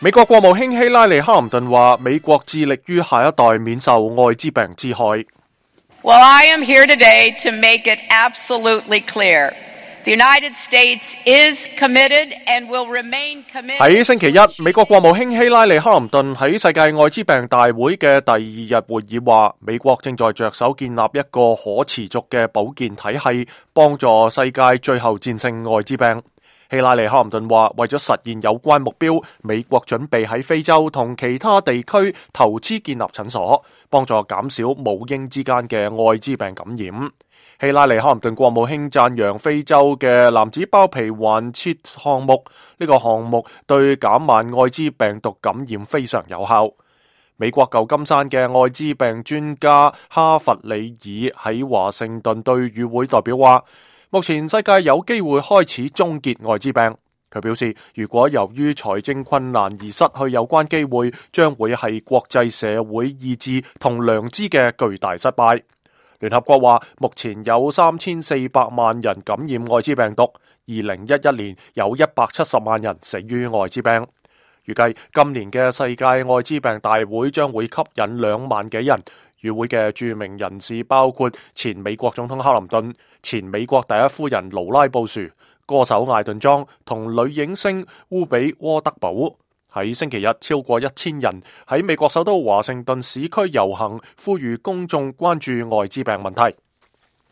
美國國務卿希拉里·克林頓話：美國致力於下一代免受愛滋病之害。Well, I am here today to make it absolutely clear. The United States is committed and will remain committed. 喺星期一，美國國務卿希拉里·克林頓喺世界愛滋病大會嘅第二日會議話，美國正在着手建立一個可持續嘅保健體系，幫助世界最後戰勝愛滋病。希拉里·克林頓話，為咗實現有關目標，美國準備喺非洲同其他地區投資建立診所，幫助減少母嬰之間嘅愛滋病感染。希拉里·克林頓國務卿讚揚非洲嘅男子包皮環切項目，呢個項目對減慢愛滋病毒感染非常有效。美國舊金山嘅愛滋病專家哈弗里爾喺華盛頓對與會代表話，目前世界有機會開始終結愛滋病。佢表示，如果由於財政困難而失去有關機會，將會係國際社會意志同良知嘅巨大失敗。聯合國話，目前有3400萬人感染愛滋病毒，2011年有170萬人死於愛滋病。預計今年嘅世界愛滋病大會將會吸引2萬幾人。與會嘅著名人士包括前美國總統克林頓、前美國第一夫人勞拉布殊、歌手艾頓莊同女影星烏比沃德堡。喺星期日，超過1000人喺美國首都華盛頓市區遊行，呼籲公眾關注愛滋病問題。